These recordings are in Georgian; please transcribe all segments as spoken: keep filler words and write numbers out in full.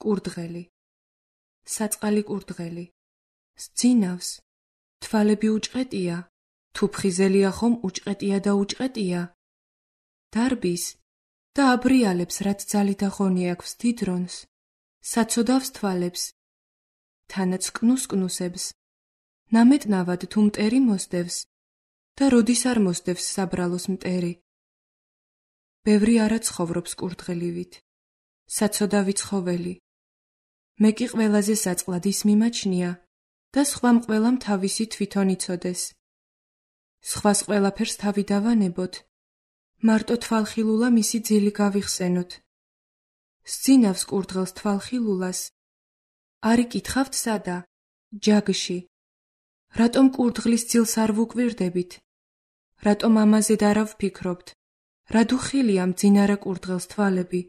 კურდღელი, საწყალი კურდღელი, სძინავს, თვალები უჭყეტია, თუ ფხიზელია ხომ უჭყეტია და უჭყეტია. დარბის და აბრიალებს, რაც ძალი და ღონი აქვს დიდრონს, საცოდავს თვალებს, თანაც კნუს კნუსებს, ნამეტნავად თუ მტერი მოსდევს და როდის არ მოსდევს საბრალოს მტერი. ბევრი არა ცხოვრობს კურდღელივით, საცოდავი ცხოველი. მე კი ყველაზე საწყლად ის მიმაჩნია და სხვამ ყველამ თავისი თვითონ იცოდეს. სხვას ყველაფერს თავი დავანებოთ, მარტო თვალხილულა მისი ძილი გავიხსენოთ. სძინავს კურდღელს თვალხილულას. არ იკითხავთ სადა, ჯაგში. რატომ კურდღლის ძილს არ ვუკვირდებით? რატომ ამაზე არ ვფიქრობთ? რადუ ხილია მძინარა კურდღელს თვალები?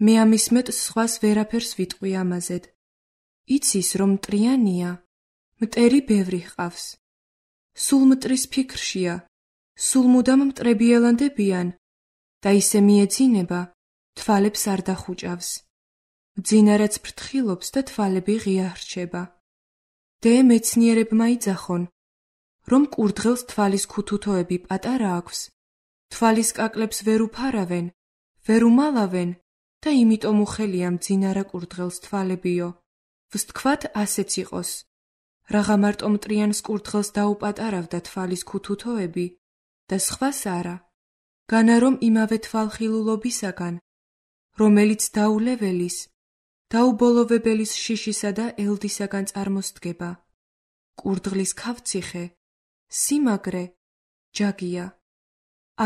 მე ამის მეტს სხვას ვერაფერს ვიტყვი ამაზედ. იცის რომ მტრიანია, მტერი ბევრი ჰყავს. სულ მტრის ფიქრშია, სულ მუდამ მტრებიელანდებიან და ისე მიეძინება, თვალებს არ დახუჭავს. მძინარაც ფრთხილობს და თვალები ღია ხრჩება. დე მეცნიერებმა იძახონ, რომ კურდღელს თვალის ქუთუთოები პატარა აქვს, თვალის კაკლებს ვერ უფარავენ, ვერ უმალავენ და იმიტომ უხელია მძინარა კურდღელს თვალებიო. ვსთქვათ ასეც იყოს. რაღა მარტო მტრიანს კურდღელს დაუპატარავდა თვალის ქუთუთოები და სხვას არა, განა რომ იმავე თვალხილულობისაგან, რომელიც დაულეველის, დაუბოლოვებელის შიშისა და ელდისაგან წარმოსდგება. კურდღლის ქავციხე, სიმაგრე, ჯაგია.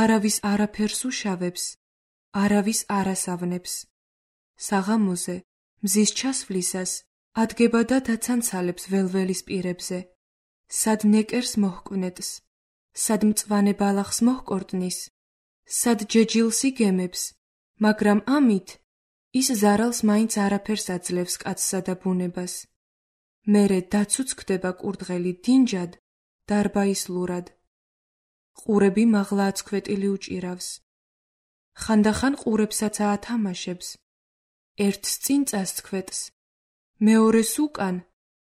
არავის არაფერს უშავებს, არავის არასავნებს. საღამოზე, მზის ჩასვლისას, ადგება და დაცანცალებს ველველის პირებზე. სად ნეკერს მოჰკვნეტს, სად მწვანე ბალახს მოჰკორტნის, სად ჯეჯილს იგემებს, მაგრამ ამით ის ზარალს მაინც არაფერს აძლევს კაცსა და ბუნებას. მერე დაცუც ხდება კურდღელი დინჯად, დარბაისლურად. ყურები მაღლა აცქვეტილი უჭირავს. ხანდახან ყურებსაც აათამაშებს. ერთს წინ წასცქვეტს, მეორეს უკან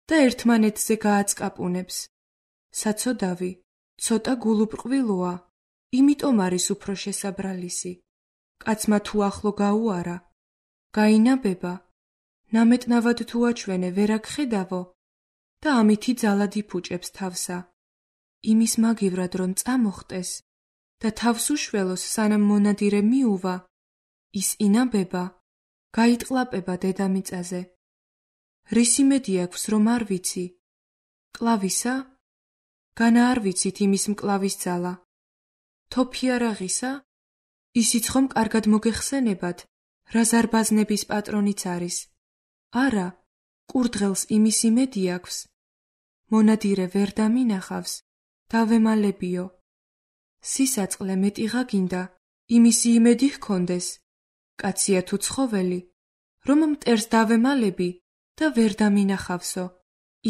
და ერთმანეთზე გააცკაპუნებს. საცოდავი, ცოტა გულუბრყვილოა, იმიტომ არის უფრო შესაბრალისი. კაცმა თუ ახლო გაუარა, გაინაბება, ნამეტნავად თუ აჩვენე ვერ აგხედავო და ამითი ძალად იფუჭებს თავსა. იმის მაგივრად რომ წამოხტეს და თავს უშველოს სანამ მონადირე მიუვა, ის ინაბება, გაიტყლაპება დედამიწაზე. რისი მედი აქვს რომ არ ვიცი? კლავისა? განა არ ვიცით იმის მკლავის ძალა. თოფი არაღისა? ისიც ხომ კარგად მოგეხსენებათ, რა ზარბაზნების პატრონიც არის. არა, კურდღელს იმის იმედი აქვს. მონადირე ვერ დამინახავს, დავემალებიო. სისაწყლე მეტიღა გინდა, იმისი იმედი ჰქონდეს. კაცია თუ ცხოველი, რომ მტერს დავემალები და ვერ დამინახავსო,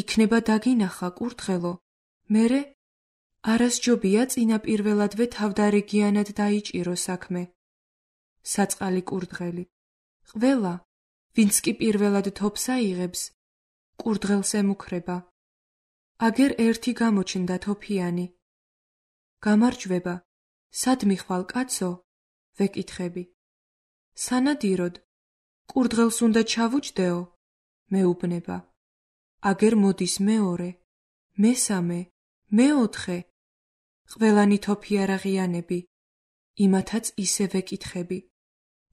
იქნება დაგინახა კურდღელო. მერე არასჯობია წინაპირველადვე თავდარიგიანად დაიჭირო საქმე. საწყალი კურდღელი. ყველა, ვინც კი პირველად თოფს აიღებს, კურდღელს ემუქრება. აგერ ერთი გამოჩნდა თოფიანი. გამარჯვება, სად მიხვალ კაცო? ვეკითხები. სანადიროდ, კურდღელს უნდა ჩავუჯდეო? მეუბნება. აგერ მოდის მეორე, მესამე, მეოთხე. ყველანი თოფი არაღიანები, იმათაც ისე ვეკითხები.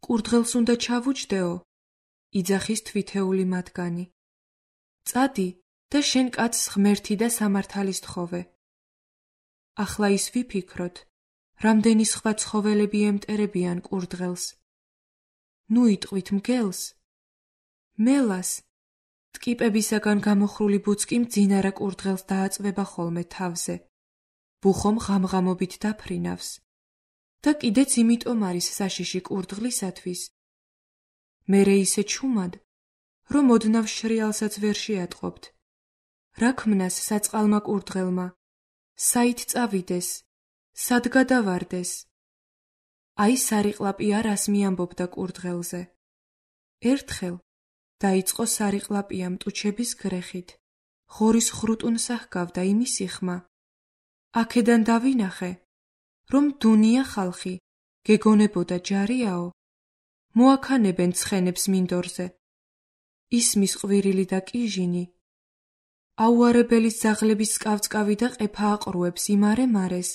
კურდღელს უნდა ჩავუჯდეო? იძახის თვითეული მათგანი. წადი და შენ კაცს ღმერთი და სამართალის თხოვე. ახლა ის ვიფიქროთ, რამდენი სხვა ცხოველები ემტერებიან კურდღელს. ნუ იტყვით მგელს? მელას, ტკიპებისაგან გამოხრული ბუцკი მძინარა კურდღელს დააწვება ხოლმე თავზე. ბუხომ ღამღამობით დაფრინავს. და კიდეც იმიტომ არის საშიში კურდღლისათვის. მერე ისე ჩუმად, რომ ოდნავ შრიალსაც ვერ შეატყობთ. რა ქმნას საწყალმა კურდღელმა? საით წავიდეს? სად გადავარდეს? აი სარიყლაპი არას მიამბობდა კურდღელზე. ერთხელ, დაიწყო სარიყლაპია მტუჩების გრეხით. ღორის ხრუტუნსა ჰგავდა იმის იხმა. აქედან დავინახე, რომ დუნია ხალხი, გეგონებოდა ჯარიაო, მოაქანებენ ცხენებს მინდორზე. ისმის ყვირილი და კიჟინი. აუარებელის ძაღლების სკავწკავი და ყეფა აყრუებს იმარე მარეს.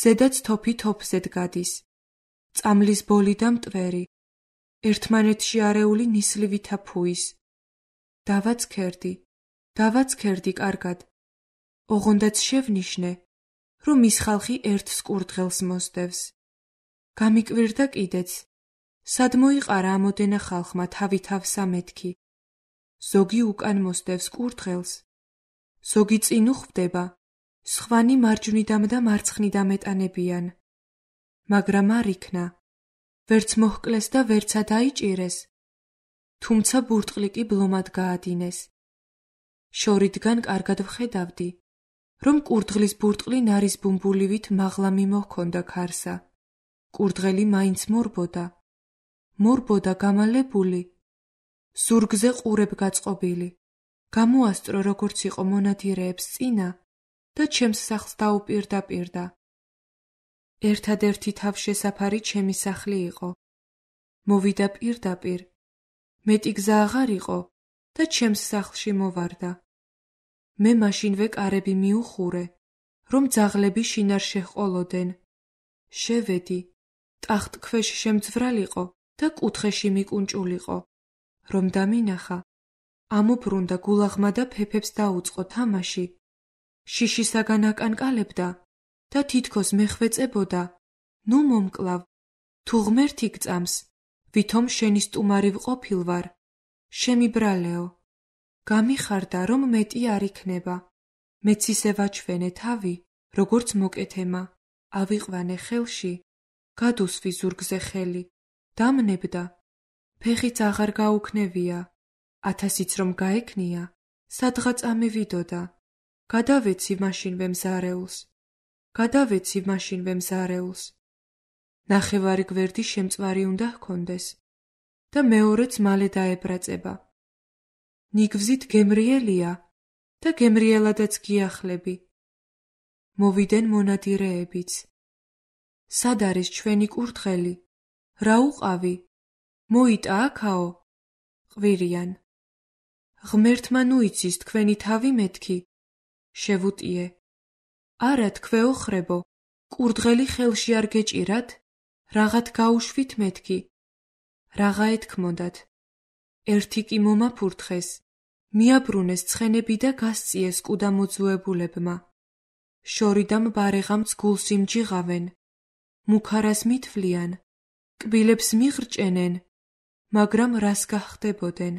ზედაც თოფი თოფზედ გადის. წამლის ბოლი და მტვერი. ერთმანეთში არეული ნისლივითა ფუის. დავაცქერდი, დავაცქერდი კარგად. ოღონდაც შევნიშნე, რომ ის ხალხი ერთს კურდღელს მოსდევს. გამიკვირდა კიდეც, სად მოიყარა ამოდენა ხალხმა თავი-თავსა მეთქი. ზოგი უკან მოსდევს კურდღელს, ზოგი წინ უხვდება, სხვანი მარჯვნიდამ და მარცხნიდამ ეტანებიან. მაგრამ არ იქნა, ვერც მოჰკლეს და ვერცა დაიჭირეს, თუმცა ბურტყლი კი ბლომად გაადინეს. შორიდან კარგად ვხედავდი, რომ კურდღლის ბურტყლი ნარის ბუმბულივით მაღლა მიმოჰქონდა ქარსა. კურდღელი მაინც მორბოდა, მორბოდა გამალებული, ზურგზე ყურებ გაწყობილი. გამოასწრო როგორც იყო მონადირეებს წინა და ჩემს სახლს დაუპირდაპირდა. ერთადერთი თავშესაფარი ჩემი სახლი იყო. მოვიდა პირდაპირ, მეტი გზა აღარ იყო და ჩემს სახლში მოვარდა. მე მაშინვე კარები მიუხურე, რომ ძაღლები შინარ შეჰყოლოდენ. შევედი, ტახტქვეშ შემძვრალიყო და კუთხეში მიკუნჭულიყო, რომ დამინახა. ამობრუნდა გულაღმა და ფეფებს დაუწყო თამაში. შიშისაგან აკანკალებდა და თითქოს მეხვეწებოდა, ნუ მომკლავ, თუ ღმერთი გწამს, ვითომ შენი სტუმარი ვყოფილ ვარ, შემიბრალეო. გამიხარდა, რომ მეტი არ იქნება. მეც ისე ვაჩვენე თავი, როგორც მოკეთემა, ავიყვანე ხელში, გადუსვი ზურგზე ხელი, დამნებდა. ფეხიც აღარ გაუქნევია, ათასიც რომ გაექნია, სადღაც ამევიდოდა. გადავეცი მაშინვე მზარეულს, გადავეცი მაშინვე მზარეულს. ნახევარი გვერდი შემწვარი უნდა ჰქონდეს და მეორეც მალე დაებრაწება. ნიგვზით გემრიელია და გემრიელადაც გიახლები. მოვიდნენ მონადირეებიც. სად არის ჩვენი კურდღელი? რა უყავი? მოიტა აქაო? ყვირიან. ღმერთმა ნუ იცის თქვენი თავი მეთქი. შევუტიე. არა თქვეო ხრებო, კურდღელი ხელში არ გეჭირათ? რაღაც გაუშვით მეთქი. რაღა ეთქმოდათ. ერთი კი მომაფურთხეს, მიაბრუნეს ცხენები და გასწიეს კუდა მოძუებულებმა. შორიდამ ბარეღამც გულს იმჯიღავენ, მუქარას მითვლიან, კბილებს მიღრჭენენ, მაგრამ რას გახდებოდენ?